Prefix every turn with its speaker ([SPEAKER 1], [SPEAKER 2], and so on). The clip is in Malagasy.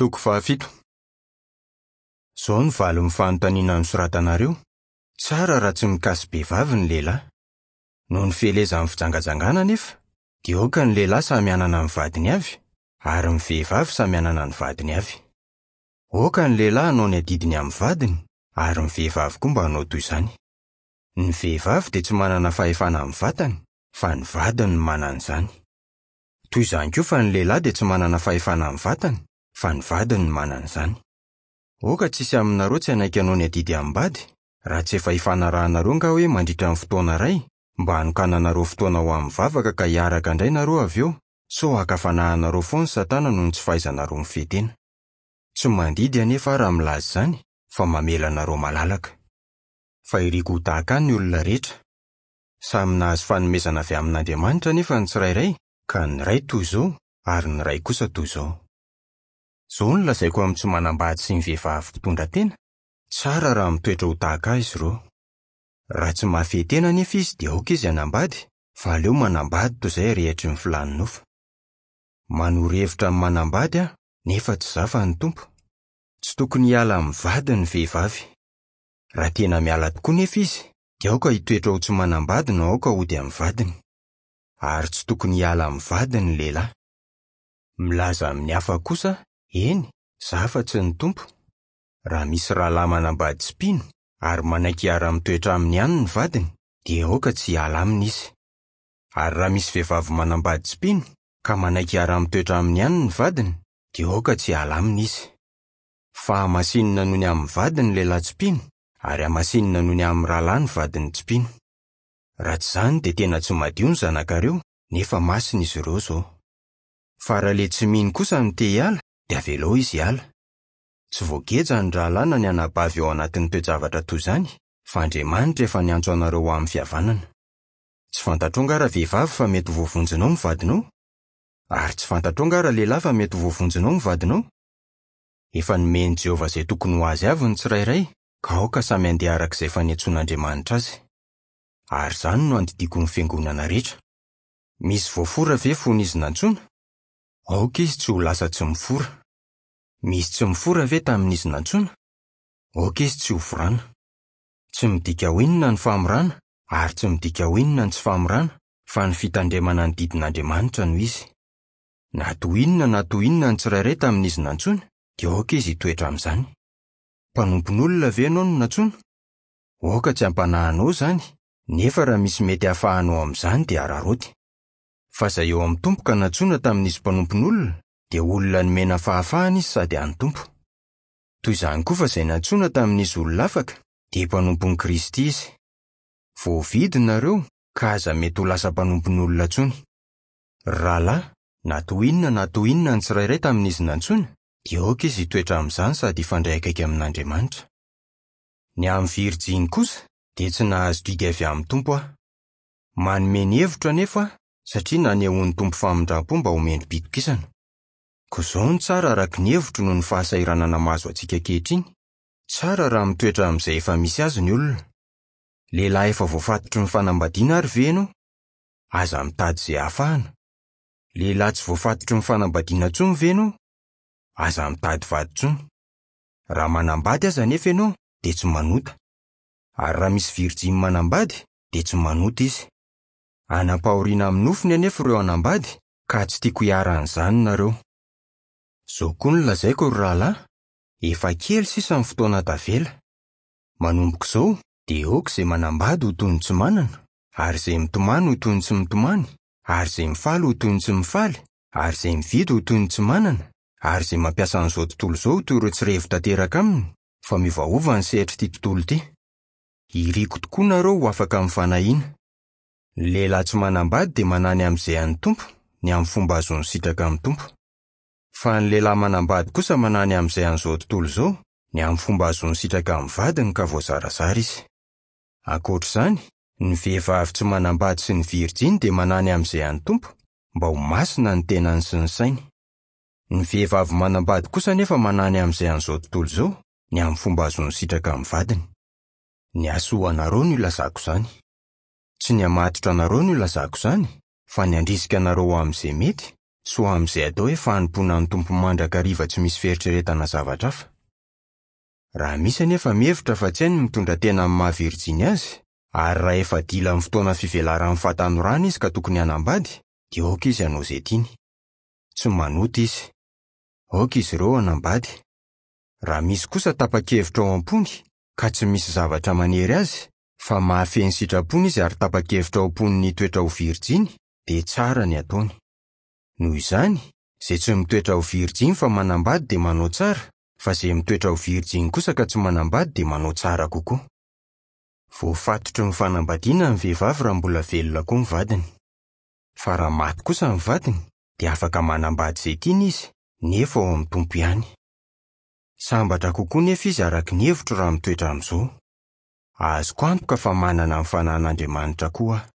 [SPEAKER 1] Toko fahafito. Izao no valin'ny fanontaniana nosoratanareo, Tsara raha tsy mikasi-behivavy ny lehilahy. Noho ny fielezan'ny fijangajangana anefa, dia aoka ny lehilahy samy hanana ny vadiny avy, ary ny vehivavy samy hanana ny vadiny avy. Aoka ny lehilahy hanao ny adidiny amin'ny vadiny, ary ny vehivavy koa mba hanao toy izany. Ny vehivavy dia tsy manana fahefana amin'ny vatany, fa ny vadiny no manana izany. Toy izany koa fa ny lehilahy dia tsy manana fahefana amin'ny vatany, fa ny vadiny no manana izany. Aoka tsy hisy aminareo tsy hanaiky hanao ny adidy amim-bady, raha tsy efa ifanarahanareo angaha hoe mandritra ny fotoana iray, mba hanokananareo fotoana ho amin'ny vavaka ka hiaraka indray nareo avy eo, sao haka fanahy anareo foana Satana noho ny tsy fahaizanareo mifehy tena. Tsy mandidy anefa aho raha milaza izany, fa mamela anareo malalaka. Fa iriko ho tahaka ahy ny olona rehetra. Samy nahazo fanomezana avy amin'Andriamanitra anefa ny tsirairay, ka ny iray toy izao, ary ny iray kosa toy izao. Izao no lazaiko amin'ny tsy manambady sy ny vehivavy mpitondra tena, tsara raha mitoetra ho tahaka ahy izy ireo. Raha tsy mahafehy tena anefa izy dia aoka izy hanambady, fa aleo manambady toy izay rehetry ny filàn'ny nofo. Manoro hevitra ny manambady aho, nefa tsy izaho fa ny Tompo. Tsy tokony hiala amin'ny vadiny ny vehivavy. Raha tena miala tokoa nefa izy, dia aoka hitoetra ho tsy manambady na aoka hody amin'ny vadiny. Ary tsy tokony hiala amin'ny vadiny ny lehilahy. Milaza amin'ny hafa kosa, eny, izaho fa tsy ny Tompo. Raha misy rahalahy manambady tsy mpino, ary manaiky hiara-mitoetra aminy ihany ny vadiny, dia aoka tsy hiala aminy izy. Ary raha misy vehivavy manambady tsy mpino, ka manaiky hiara-mitoetra aminy ihany ny vadiny, dia aoka tsy hiala aminy izy. Fa hamasinina noho ny amin'ny vadiny ny lehilahy tsy mpino, ary hamasinina noho ny amin'ny rahalahy ny vadiny tsy mpino. Raha tsy izany dia tena tsy madio ny zanakareo, nefa masina izy ireo izao. Fa raha ilay tsy mino kosa no te hiala, dia avelao izy hiala. Tsy voageja ny rahalahy na ny anabavy ao anatin'ny toe-javatra toy izany, fa Andriamanitra efa niantso anareo ho amin'ny fihavanana. Tsy fantatrao angaha ravehivavy fa mety ho voavonjinao ny vadinao? Ary tsy fantatrao angaha ralehilahy fa mety ho voavonjinao ny vadinao? Efa nomen'i Jehovah izay tokony ho azy avy ny tsirairay, ka aoka samy handeha araka izay efa niantsoan'Andriamanitra azy. Ary izany no andidiako ny fiangonana rehetra. Misy voafora ve fony izy nantsoina? Aoka izy tsy ho lasa tsy mifora. Misy tsy mifora ve tamin'izy nantsoina? Aoka izy tsy hoforana. Tsy midika ho inona ny famorana, ary tsy midika ho inona ny tsy famorana, fa ny fitandremana ny didin'Andriamanitra no izy. Na toy inona na toy inona ny tsirairay tamin'izy nantsoina, dia aoka izy hitoetra amin'izany. Mpanompon'olona ve ianao no nantsoina? Aoka tsy hampanahy anao izany, nefa raha misy mety hahafahanao amin'izany dia araraoty. Fa izay eo amin'ny Tompo ka nantsoina tamin'izy mpanompon'olona, dia olona nomena fahafahana izy sady an'ny Tompo. Toy izany koa fa izay nantsoina tamin'izy olona afaka, dia mpanompon'i Kristy izy. Voavidy nareo, ka aza mety ho lasa mpanompon'olona intsony. Ry rahalahy, na toy inona na toy inona ny tsirairay tamin'izy nantsoina, dia aoka izy hitoetra amin'izany sady hifandray akaiky amin'Andriamanitra. Ny amin'ny virjiny kosa, dia tsy nahazo didy avy amin'ny Tompo aho. Manome ny hevitro anefa aho, satria nanehoan'ny Tompo famindram-po mba ho mendri-pitokisana. Koa izao no tsara araka ny hevitro noho ny fahasahiranana mahazo antsika ankehitriny, tsara raha mitoetra amin'izay efa misy azy ny olona. Lehilahy efa voafatotry ny fanambadiana ary ve ianao? Aza mitady izay hahafahana. Lehilahy tsy voafatotry ny fanambadiana intsony ve ianao? Aza mitady vady intsony. Raha manambady aza anefa ianao dia tsy manota. Ary raha misy virjiny manambady dia tsy manota izy. Hanam-pahoriana amin'ny nofony anefa ireo hanambady ka tsy tiako hiharan'izany nareo. Izao koa no lazaiko ry rahalahy, efa kely sisa ny fotoana tavela. Manomboka izao dia aoka izay manambady ho toy ny tsy manana, ary izay mitomany ho toy ny tsy mitomany, ary izay mifaly ho toy ny tsy mifaly, ary izay mividy ho toy ny tsy manana, ary izay mampiasa an'izao tontolo izao ho toy ireo tsy revo tanteraka aminy, fa miovaova ny sehatr'ity tontolo ity. Iriko tokoa nareo ho afaka amin'ny fanahiana. Ny lehilahy tsy manambady dia manahy ny amin'izay an'ny Tompo, ny amin'ny fomba ahazoany sitraka amin'ny Tompo. Fa ny lehilahy manambady kosa manahy ny amin'izay an'izao tontolo izao, ny amin'ny fomba ahazoany sitraka amin'ny vadiny ka voazarazara izy. Ankoatra izany, ny vehivavy tsy manambady sy ny virjiny dia manahy ny amin'izay an'ny Tompo, mba ho masina ny tenany sy ny sainy. Ny vehivavy manambady kosa anefa manahy ny amin'izay an'izao tontolo izao, ny amin'ny fomba ahazoany sitraka amin'ny vadiny. Ny hahasoa anareo no ilazako izany. Tsy ny hamatotra anareo no ilazako izany, fa ny handrisika anareo ho amin'izay mety, sy ho amin'izay atao hoe fanompoana ny Tompo mandrakariva tsy misy fieritreretana zavatra hafa. Raha misy anefa mihevitra fa tsy hainy ny mitondra tena amin'ny maha virjiny azy, ary raha efa dila amin'ny fotoana fivelaran'ny fahatanorana izy ka tokony hanambady, dia aoka izy hanao izay tiany. Tsy manota izy. Aoka izy ireo hanambady. Raha misy kosa tapa-kevitra ao am-pony, ka tsy misy zavatra manery azy, fa mahafehy ny sitrapony izy ary tapa-kevitra ao am-pony ny hitoetra ho virjiny, dia tsara ny ataony. Noho izany, izay tsy mitoetra ho virjiny fa manambady dia manao tsara, fa izay mitoetra ho virjiny kosa ka tsy manambady dia manao tsara kokoa. Voafatotry ny fanambadiana ny vehivavy raha mbola velona koa ny vadiny. Fa raha maty kosa ny vadiny, dia afaka manambady izay tiany izy, nefa ao amin'ny Tompo ihany. Sambatra kokoa nefa izy araka ny hevitro raha mitoetra amin'izao. Azoko antoka fa manana ny Fanahin'Andriamanitra koa aho.